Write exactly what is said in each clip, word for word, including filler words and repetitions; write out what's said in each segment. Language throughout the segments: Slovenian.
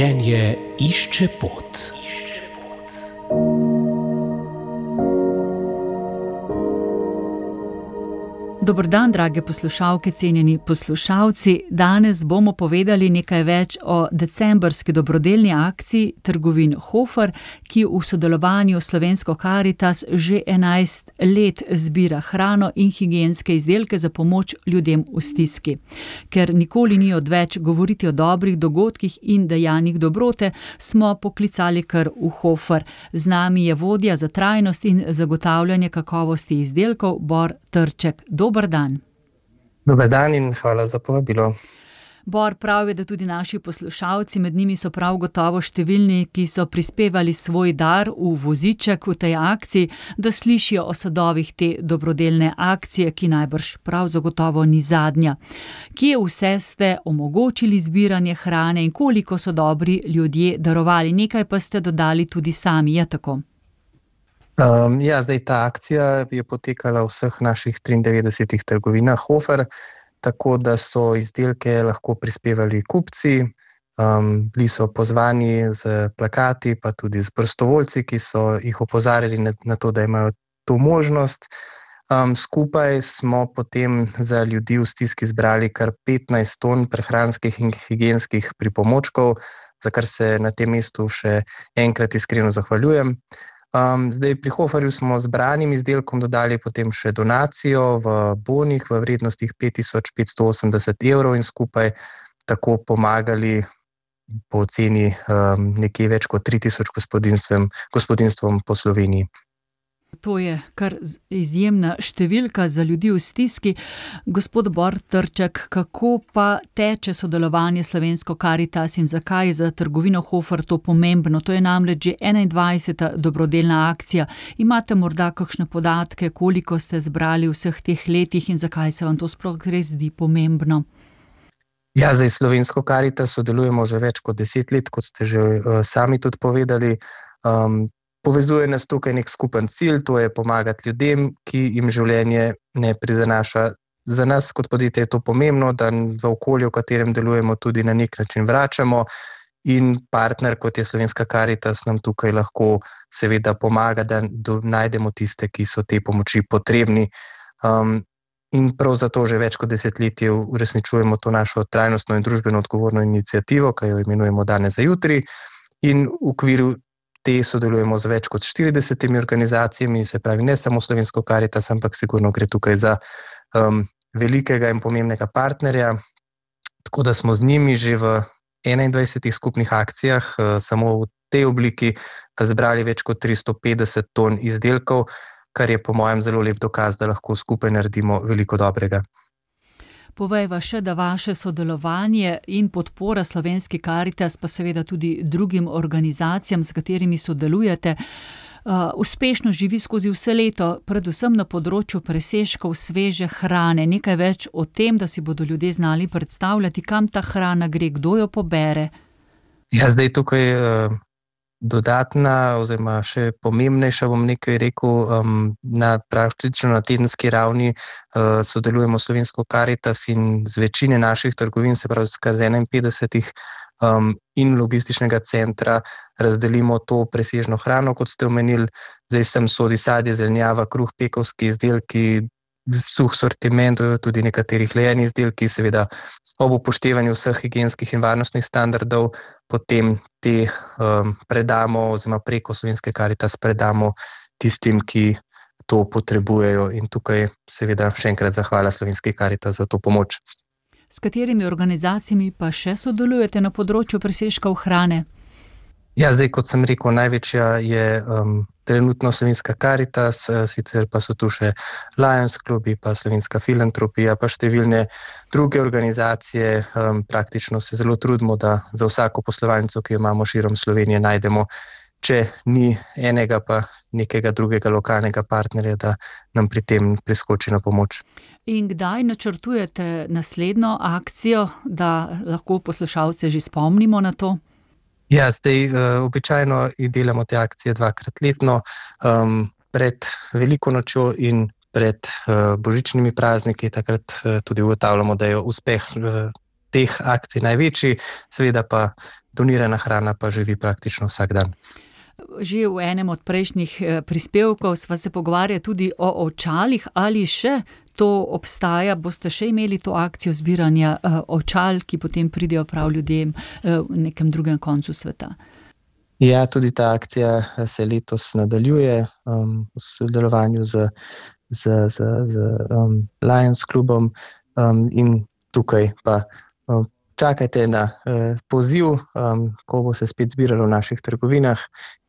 Življenje išče pot. Dober dan, drage poslušalke, cenjeni poslušalci. Danes bomo povedali nekaj več o decembrski dobrodelni akciji trgovin Hofer, ki v sodelovanju s Slovensko Karitas že enajst let zbira hrano in higienske izdelke za pomoč ljudem v stiski. Ker nikoli ni odveč govoriti o dobrih dogodkih in dejanjih dobrote, smo poklicali kar v Hofer. Z nami je vodja za trajnost in zagotavljanje kakovosti izdelkov Bor Trček. Dober dan. Dober dan in hvala za povabilo. Bor, pravi, da tudi naši poslušalci, med njimi so prav gotovo številni, ki so prispevali svoj dar v voziček v tej akciji, da slišijo o sadovih te dobrodelne akcije, ki najbrž prav zagotovo ni zadnja. Kje vse ste omogočili zbiranje hrane in koliko so dobri ljudje darovali? Nekaj pa ste dodali tudi sami, je tako? Um, ja, zdaj ta akcija je potekala v vseh naših triindevetdesetih trgovinah Hofer, tako da so izdelke lahko prispevali kupci, um, bili so pozvani z plakati, pa tudi z prostovoljci, ki so jih opozarjali na, na to, da imajo to možnost. Um, skupaj smo potem za ljudi v stiski zbrali kar petnajst ton prehranskih in higienskih pripomočkov, za kar se na tem mestu še enkrat iskreno zahvaljujem. Um, zdaj pri Hoferju smo zbranim izdelkom dodali potem še donacijo v bonih v vrednostih pet tisoč petsto osemdeset evrov in skupaj tako pomagali po ceni um, nekje več kot tri tisoč gospodinstvom, gospodinstvom po Sloveniji. To je kar izjemna številka za ljudi v stiski. Gospod Bor Trček, kako pa teče sodelovanje Slovensko Karitas in zakaj je za trgovino Hofer to pomembno? To je namreč že enaindvajseta dobrodelna akcija. Imate morda kakšne podatke, koliko ste zbrali v vseh teh letih in zakaj se vam to sploh res zdi pomembno? Ja, zdaj Slovensko Karitas sodelujemo že več kot deset let, kot ste že uh, sami tudi povedali. Um, Povezuje nas tukaj nek skupen cilj, to je pomagati ljudem, ki jim življenje ne prizanaša. Za nas kot podjetje je to pomembno, da v okolju, v katerem delujemo, tudi na nek način vračamo in partner, kot je Slovenska Karitas, nam tukaj lahko seveda pomaga, da do, najdemo tiste, ki so te pomoči potrebni. Um, in prav zato že več kot desetletje uresničujemo to našo trajnostno in družbeno odgovorno iniciativo, ki jo imenujemo Danes za jutri, in v okviru te sodelujemo z več kot štiridesetimi organizacijami, se pravi ne samo Slovensko Karitas, ampak sigurno gre tukaj za um, velikega in pomembnega partnerja. Tako da smo z njimi že v enaindvajsetih skupnih akcijah, uh, samo v tej obliki, zbrali več kot tristo petdeset ton izdelkov, kar je po mojem zelo lep dokaz, da lahko skupaj naredimo veliko dobrega. Povejva še, da vaše sodelovanje in podpora Slovenski Karitas, pa seveda tudi drugim organizacijam, s katerimi sodelujete, uh, uspešno živi skozi vse leto, predvsem na področju presežkov sveže hrane. Nekaj več o tem, da si bodo ljudje znali predstavljati, kam ta hrana gre, kdo jo pobere. Ja, zdaj tukaj uh, dodatna oziroma še pomembnejša, bom nekaj rekel, um, na praktično na tedenski ravni uh, sodelujemo Slovensko Karitas in z večine naših trgovin, se pravi skaz enainpetdesetih um, in logističnega centra razdelimo to presežno hrano, kot ste omenili. Zdaj sem sodi sadje, zelenjava, kruh, pekovski izdelki, suh sortiment, tudi nekateri hlajeni izdelki, seveda ob upoštevanju vseh higienskih in varnostnih standardov, potem te um, predamo oziroma preko Slovenske Karitas predamo tistim, ki to potrebujejo, in tukaj seveda še enkrat zahvala Slovenski Karitas za to pomoč. S katerimi organizacijami pa še sodelujete na področju presežkov hrane? Ja, zdaj, kot sem rekel, največja je um, trenutno Slovenska Karitas, sicer pa so tu še Lions klubi, pa Slovenska filantropija, pa številne druge organizacije. Um, praktično se zelo trudimo, da za vsako poslovalnico, ki jo imamo širom Slovenije, najdemo, če ni enega, pa nekega drugega lokalnega partnerja, da nam pri tem priskoči na pomoč. In kdaj načrtujete naslednjo akcijo, da lahko poslušalce že spomnimo na to? Ja, zdaj uh, običajno delamo te akcije dvakrat letno, um, pred Veliko nočjo in pred uh, božičnimi prazniki. Takrat uh, tudi ugotavljamo, da je uspeh uh, teh akcij največji, seveda pa donirana hrana pa živi praktično vsak dan. Že v enem od prejšnjih prispevkov sva se pogovarjali tudi o očalih, ali še to obstaja, boste še imeli to akcijo zbiranja očal, ki potem pridejo prav ljudem v nekem drugem koncu sveta. Ja, tudi ta akcija se letos nadaljuje um, v sodelovanju z, z, z, z um, Lions klubom um, in tukaj pa um, čakajte na uh, poziv, um, ko bo se spet zbiralo v naših trgovinah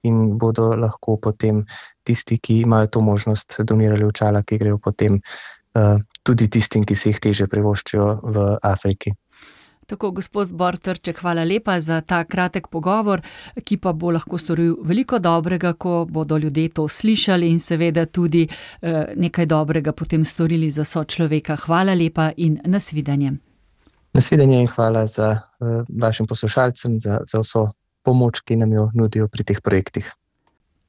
in bodo lahko potem tisti, ki imajo to možnost, donirali očala, ki grejo potem uh, tudi tistim, ki si jih teže privoščijo v Afriki. Tako, gospod Bor Trček, hvala lepa za ta kratek pogovor, ki pa bo lahko storil veliko dobrega, ko bodo ljudje to slišali in seveda tudi uh, nekaj dobrega potem storili za sočloveka. Hvala lepa in nasvidenje. Nasvidenje in hvala za uh, vašim poslušalcem, za, za vso pomoč, ki nam jo nudijo pri teh projektih.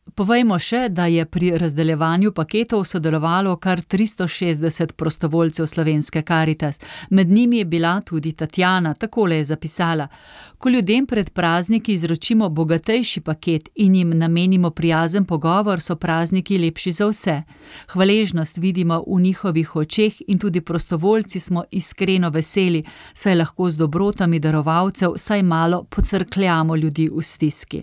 Povejmo še, da je pri razdeljevanju paketov sodelovalo kar tristo šestdeset prostovoljcev Slovenske Karitas. Med njimi je bila tudi Tatjana, takole je zapisala: Ko ljudem pred prazniki izročimo bogatejši paket in jim namenimo prijazen pogovor, so prazniki lepši za vse. Hvaležnost vidimo v njihovih očeh in tudi prostovoljci smo iskreno veseli, saj lahko z dobrotami darovalcev saj malo pocrkljamo ljudi v stiski.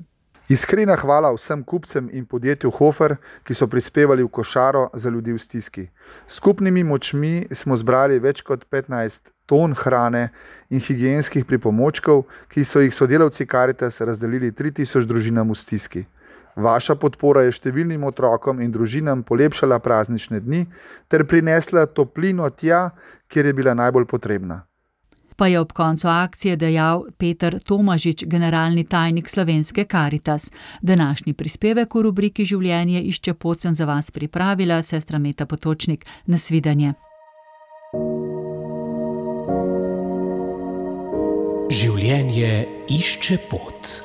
Iskrena hvala vsem kupcem in podjetju Hofer, ki so prispevali v košaro za ljudi v stiski. Skupnimi močmi smo zbrali več kot petnajst ton hrane in higienskih pripomočkov, ki so jih sodelavci Karitas razdelili tri tisoč družinam v stiski. Vaša podpora je številnim otrokom in družinam polepšala praznične dni ter prinesla toplino tja, kjer je bila najbolj potrebna. Pa je ob koncu akcije dejal Peter Tomažič, generalni tajnik Slovenske Karitas. Današnji prispevek v rubriki Življenje išče pot sem za vas pripravila sestra Meta Potočnik. Nasvidenje. Življenje išče pot.